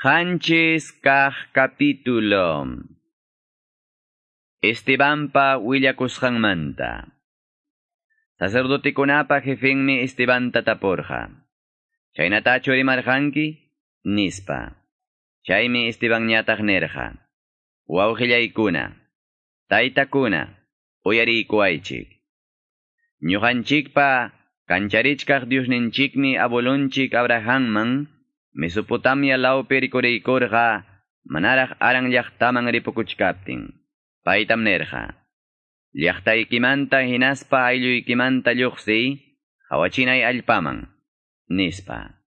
7 kaq capítulo. Estebanpa willakusqanmanta. Sacerdotekunapa jefenmi Estebanta tapurqa. Chaynatachu rimarqanki? Nispa. Chaymi Estebanñataq nirqa. Wawqillaykuna, taytakuna, uyariykuwaychik. Ñuqanchikpa kancharichkaq Diosninchikmi abuelonchik Abrahamman Mesopotamia lawpi rikuriykurqa manaraq Haran llaqtaman ripukuchkaptin. Paytam nirqa. Llaqtaykimanta hinaspa aylluykimanta lluqsiy, qawachinay allpaman, nispa.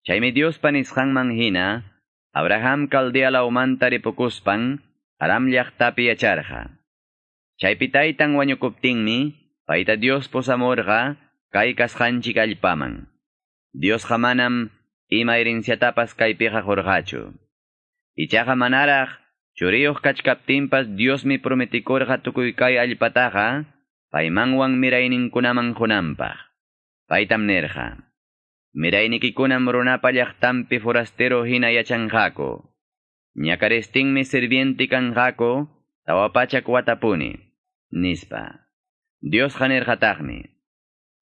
Chaymi Diospa nisqanman hina, Abraham Caldea lawmanta ripukuspan, Aram llaqtapi yacharqa. Chaypi taytan wañukuptinmi, payta Dios pusamurqa kay kasqanchik allpaman. Diosqa manam ima herenciatapas kaypiqa qurqachu. Ichaqa manaraq churiyuq kachkaptinpas Diosmi prometikurqa tukuy kay allpataqa paymanwan mirayninkunaman qunanpaq. Paytam nirqa. Miraynikikunam runapa llaqtanpi forastero hina yachanqaku. Ñakaristinmi sirviente kanqaku 400 watapuni, nispa. Diosqa nirqataqmi.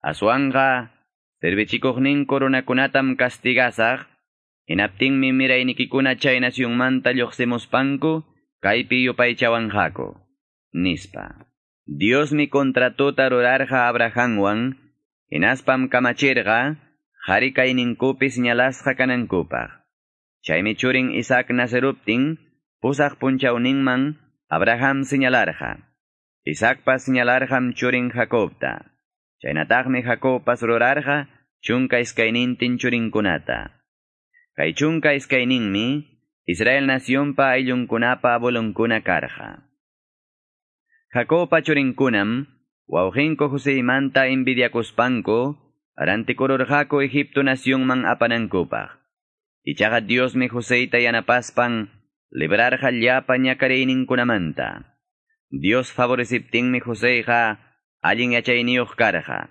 Aswanqa servichikuqninku runakunatam castigasaq, hinaptinmi miraynikikuna chay nacionmanta lluqsimuspanku kaypi yupaychawanqaku, nispa. Diosmi contratota rurarqa Abrahamwan, hinaspam kamachirqa, qari kayninkupi señalasqa kanankupaq. Chaymi churin Isaac naceruptin, 8 punchawninman Abraham señalarqa. Isaacpas señalarqam churin Jacobta. Chaynataqmi Jacobpas rurarqa 12 churinkunata. Kay 12ninmi Israel nacionpa ayllunkunapa abuelonkuna karqa. Jacobpa churinkunam wawqinku Joseymanta envidiakuspanku rantikururqaku Egipto nacionman apanankupaq. Ichaqa Diosmi Joseyta yanapaspan librarqa llapa ñakariyninkunamanta. Dios favoreciptinmi Joseyqa allin yachayniyuq karqa.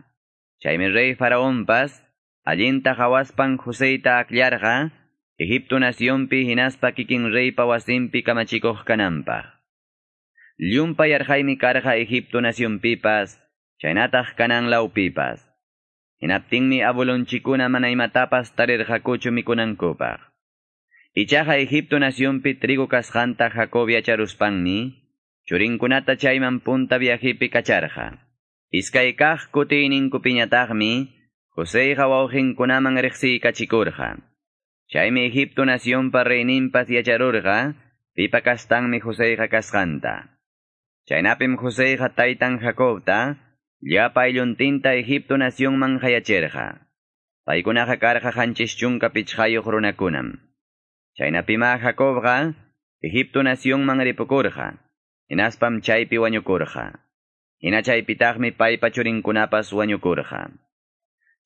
Chaymi rey Faraonpas allinta qawaspan Joseyta akllarqa Egipto nacionpi hinaspa kikin reypa wasinpi kamachikuq kananpaq. Llumpay yarqaymi karqa Egipto nacionpipas, chaynataq Canaán lawpipas. Hinaptinmi abuelonchikuna mana imatapas tarirqakuchu mikunankupaq. Ichaqa Egipto nacionpi trigo kasqanta Jacob yacharuspanmi, churinkunata chayman punta viajepi kacharqa. Iskay kaq kutiyninkupiñataqmi, Joseyqa wawqinkunaman riqsiykachikurqa. Chaymi Egipto nacionpa reyninpas yacharurqa, pipa kastanmi Joseyqa kasqanta. Chaynapim Joseyqa taytan Jacobta, llapa aylluntinta Egipto nacionman qayachirqa. Paykunaqa karqa 75 runakunam. Chaynapima Jacobqa Egipto nacionman ripukurqa, hinaspam chaypi wañukurqa. Hina chaypitaqmi paypa churinkunapas wañukurqa.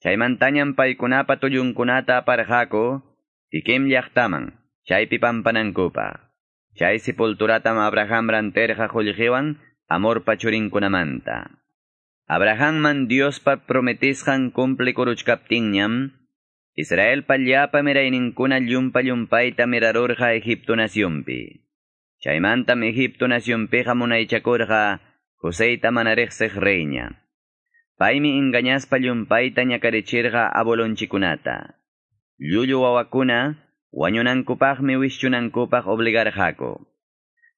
Chaymantañam paykunapa tullunkunata aparqaku Siquem llaqtaman, chaypi pampanankupaq. Chay sepulturatam Abraham rantirqa qullqiwan Hamorpa churinkunamanta. Abrahamman Diospa prometisqan cumplikuruchkaptinñam, Israelpa llapa mirayninkuna llumpa llumpayta mirarurqa Egipto nacionpi. Chaymantam Egipto nacionpiqa munaychakurqa Joseyta mana riqsiq reyña. Paymi engañaspa llumpayta ñakarichirqa abuelonchikunata. Llullu wawakuna wañunankupaqmi wischunankupaq obligarqaku.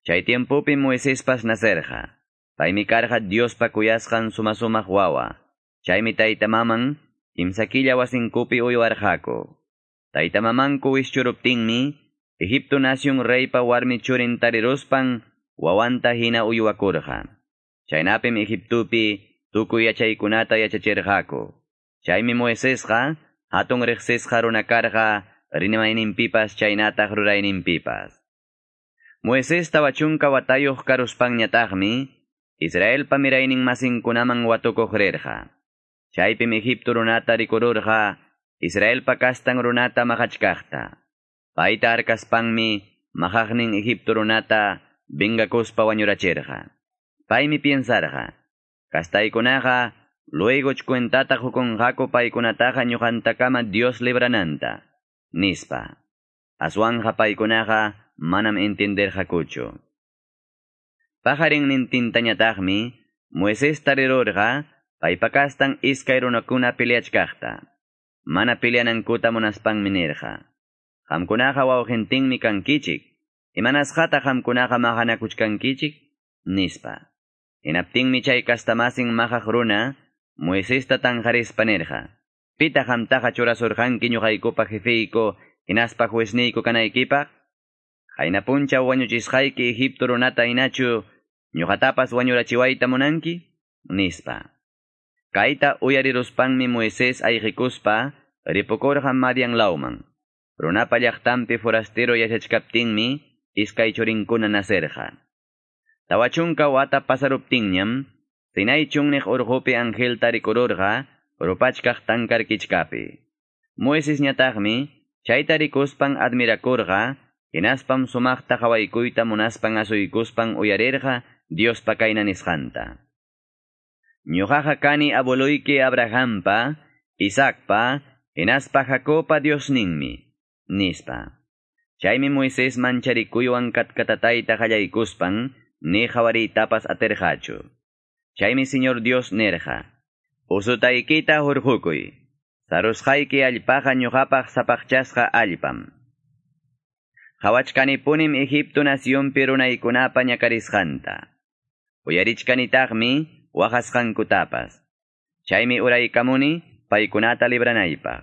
Chay tiempopi Moisespas nacerqa. Paymi karqa Diospa kuyasqan suma-sumaq wawa. Chaymi tayta maman 3 killa wasinkupi uywarqaku. Tayta mamanku wischuruptinmi Egipto nacion reypa warmi churin tariruspan wawanta hina uywakurqa. Chaynapim Egiptopi tukuy yachaykunata yachachirqaku. Chaymi Moisesqa hatun riqsisqa runa karqa rimayninpipas chaynataq rurayninpipas. Moisés 40 watayuq karuspanñataqmi Israelpa miraynin masinkunaman watukuq rirqa. Chaypim Egipto runata rikururqa Israelpa kastan runata maqachkaqta. Payta harkaspanmi maqaqnin Egipto runata vengakuspa wañurachirqa. Paymi piensarqa, kastaykunaqa luego cuentata qukunqaku paykunataqa ñuqantakama Dios librananta, nispa. Aswanqa paykunaqa manam entenderqakuchu. Paqarinnintintañataqmi Moisés tarirurqa paypa kastan iskay runakuna peleachkaqta. Mana peleanankuta munaspanmi nirqa. Qamkunaqa wawqintinmi kankichik. Imanasqata qamkunaqa maqanakuchkankichik? Nispa. Hinaptinmi chay kastamasin maqaq runa Moisesta tanqarispa nirqa. Pitaq qamtaqa churasurqanki ñuqaykupa jefeyku hinaspa juezniyku kanaykipaq? Qayna punchaw wañuchisqayki Egipto runata hinachu ñuqatapas wañurachiwayta munanki? Nispa. Kayta uyariruspanmi Moisés ayqikuspa ripukurqa Madian lawman. Runapa llaqtanpi forastero yachachkaptinmi iskay churinkuna nacerqa. 40 wata pasaruptinñam, Sinai chunniq urqupi angelta rikururqa rupachkaq tankar kichkapi. Moisesñataqmi chayta rikuspan admirakurqa, hinaspam sumaqta qawaykuyta munaspan asuykuspan uyarirqa Diospa kayna nisqanta. Ñuqaqa kani abueloyki Abrahampa, Isaacpa, hinaspa Jacobpa Diosninmi, nispa. Chaymi Moisés mancharikuywan katkatatayta qallaykuspan, ni qawariytapas atirqachu. Chaymi Señor Dios nirqa, Usutaykita hurqukuy, sarusqayki allpaqa ñuqapaq sapaqchasqa allpam. Qhawachkanipunim Egipto nacionpi runaykunapa ñakarisqanta. Uyarichkanitaqmi waqasqankutapas. Chaymi uraykamuni paykunata libranaypaq.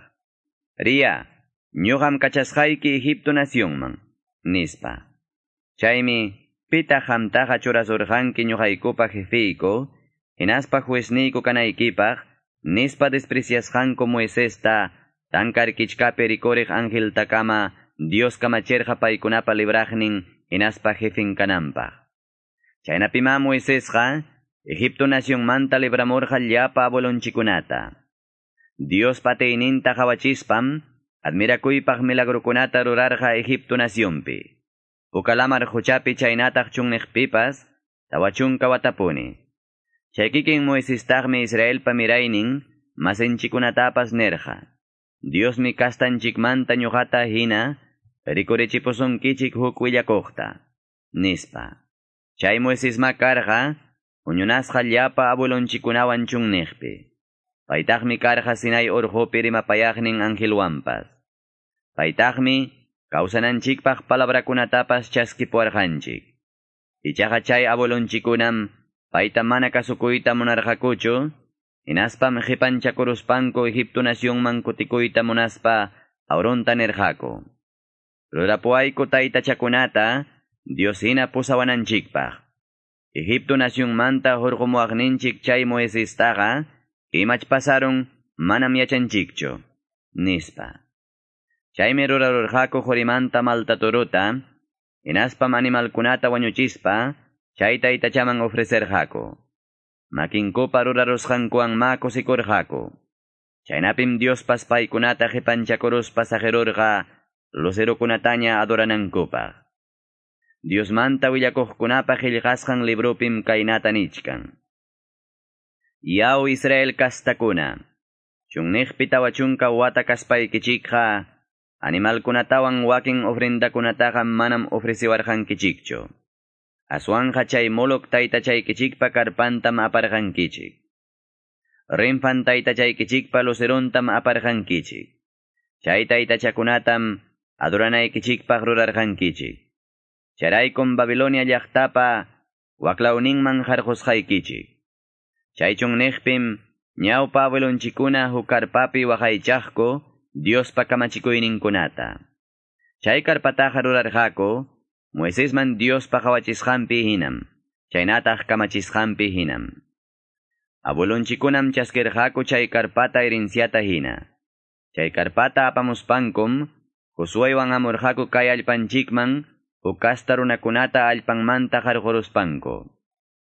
Riya, ñuqam kachasqayki Egipto nacionman, nispa. Chaymi pitaq qamtaqa churasurqanki ñuqaykupa jefeyku, hinaspa juezniyku kanaykipaq, nispa despreciasqanku Moisesta, tankar kichkapi rikuriq angeltakama Dios kamachirqa paykunapa libraqnin hinaspa jefin kananpaq. Chaynapima Moisesqa Egipto nacionmanta libramurqa llapa abuelonchikunata. Dios pateyninta qawachispam admirakuypaq milagrukunata rurarqa Egipto nacionpi. Puka lamar quchapi chaynataq chunniqpipas 40 watapuni. Chay kikin Moisestaqmi Israelpa miraynin masinchikunatapas nirqa. Diosmi kastanchikmanta ñuqata hina rikurichipusunkichik huk willakuqta, nispa. Chay Moisesma karqa huñunasqa llapa abuelonchikunawan chunniqpi. Paytaqmi karqa Sinai urqupi rimapayaqnin angelwanpas. Paytaqmi kawsananchikpaq palabrakunatapas chaskipuwarqanchik. Ichaqa chay abuelonchikunam payta mana kasukuyta munarqakuchu, hinaspam qipanchakuruspanku Egipto nacionman kutikuyta munaspa Aaronta nirqaku. Rurapuwayku taytachakunata Dios hina pusawananchikpaq. Egipto nacionmanta hurqumuwaqninchik chay Moisestaqa imach pasarun manam yachanchikchu, nispa. Chaymi rurarurqaku qurimanta malta turuta, hinaspam animalkunata wañuchispa chay taytachaman ofrecerqaku. Makinkupa rurarusqankuwan ma kusikurqaku. Chaynapim Diospas paykunata qipanchakuruspa saqirurqa lucerokunataña adoranankupaq. Diosmanta willakuqkunapa qillqasqan librupim kaynata nichkan. Yaw Israel kastakuna, chunniqpi 40 wata kaspaykichikqa, animalkunatawan wakin ofrendakunataqa manam ofreciwarqankichikchu. Aswanqa chay Moloc taytachaykichikpa karpantam aparqankichik. Renfan taytachaykichikpa lucerontam aparqankichik. Chay taytachakunatam adoranaykichikpaq rurarqankichik. Chayraykum Babilonia llaqtapa waklawninman harqusqaykichik. Chay chunniqpim ñawpa abuelonchikuna huk karpapi waqaychaqku Diospa kamachikuyninkunata. Chay karpataqa rurarqaku Moisesman Diospa qawachisqanpi hinam, chaynataq kamachisqanpi hinam. Abuelonchikunam chaskirqaku chay karpata herenciata hina. Chay karpata apamuspankum Josuewan hamurqaku kay allpanchikman huk kasta runakunata allpanmanta harquruspanku.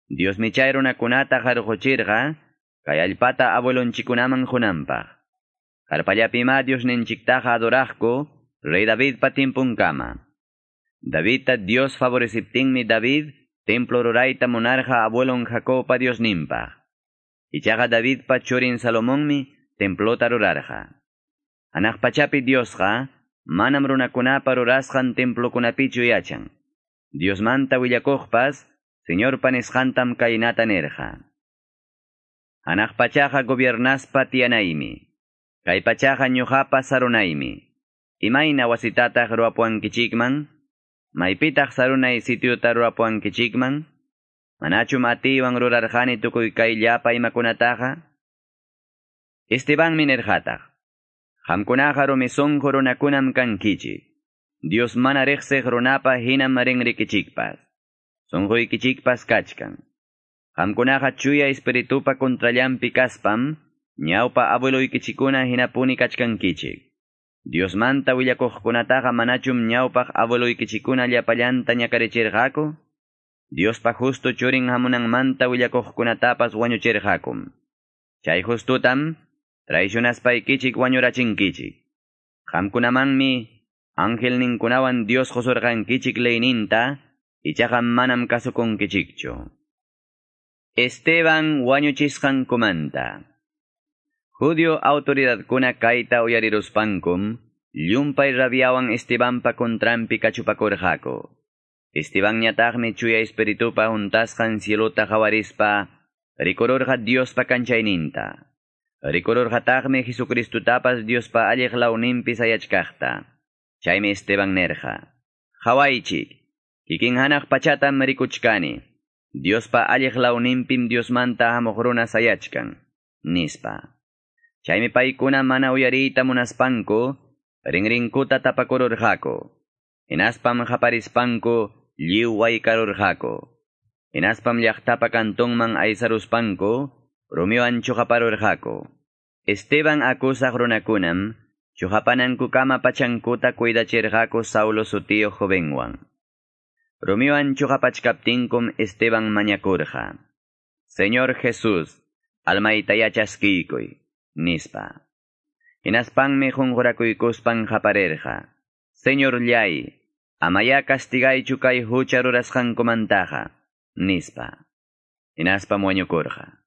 Diosmi chay runakunata harquchirqa kay allpata abuelonchikunaman qunanpaq. Karpallapima Diosninchiktaqa adoraqku rey Davidpa timpunkama. Davidta Dios favoreciptinmi David templo rurayta munarqa abuelon Jacobpa Diosninpaq. Ichaqa Davidpa churin Salomonmi templota rurarqa. Hanaq pachapi Diosqa manam runakunapa rurasqan templokunapichu yachan. Diosmanta willakuqpas, Señorpa nisqantam kaynata nirqa. Hanaq pachaqa gobiernaspa tiyanaymi. Kay pachaqa ñuqapa sarunaymi. Imayna wasitataq ruwapuwankichikman? Maypitaq sarunay sitiuta ruwapuwankichikman? Manachum atiywan rurarqani tukuy kay llapa imakunataqa? Estebanmi nirqataq. Qamkunaqa rumi sunqu runakunam kankichik. Dios mana riqsiq runapa hinam rinrikichikpas. Sunquykichikpas kachkan. Qamkunaqa chuya espiritupa contrallampi kaspam, ñawpa abueloykichikuna hinapuni kachkankichik. Diosmanta willakuqkunataqa manachum ñawpaq abueloykichikuna llapallanta ñakarichirqaku? Diospa justo churin hamunanmanta willakuqkunatapas wañuchirqakum. Chay justutam traicionaspaykichik wañurachinkichik. Qamkunamanmi angelninkunawan Dios qusurqankichik leyninta, ichaqa manam kasukunkichikchu. Esteban wañuchisqankumanta. Judio autoridadkuna kayta uyariruspankum, llumpay rabiawan Estebanpa contranpi kachupakurqaku. Estebanñataqmi chuya espiritupa huntasqan cielota qawarispa, rikururqa Diospa kanchayninta. Rikururqataqmi Jesucristutapas Diospa alliq lawninpi sayachkaqta. Chaymi Esteban nirqa: Qawaychik, kikin hanaq pachatam rikuchkani. Diospa alliq lawninpim Diosmanta hamuq runa sayachkan, nispa. Chaymi paykuna mana uyariyta munaspanku, rinrinkuta tapakururqaku. Hinaspam qaparispanku lliw waykarurqaku. Hinaspam llaqtapa kantunman aysaruspanku, rumiwan chuqaparurqaku. Esteban akusaq runakunam, chuqapanankukama pachankuta cuidachirqaku Saulo sutiyuq jovenwan. Rumiwan chuqapachkaptinkum Esteban mañakurqa: Señor Jesús, almaytayá chaskiykuy, nispa. Hinaspanmi qunqurakuykuspan qaparirqa: Señorllay, amayá castigaychu kay hucha rurasqankumantaqa, nispa. Hinaspam wañukurqa.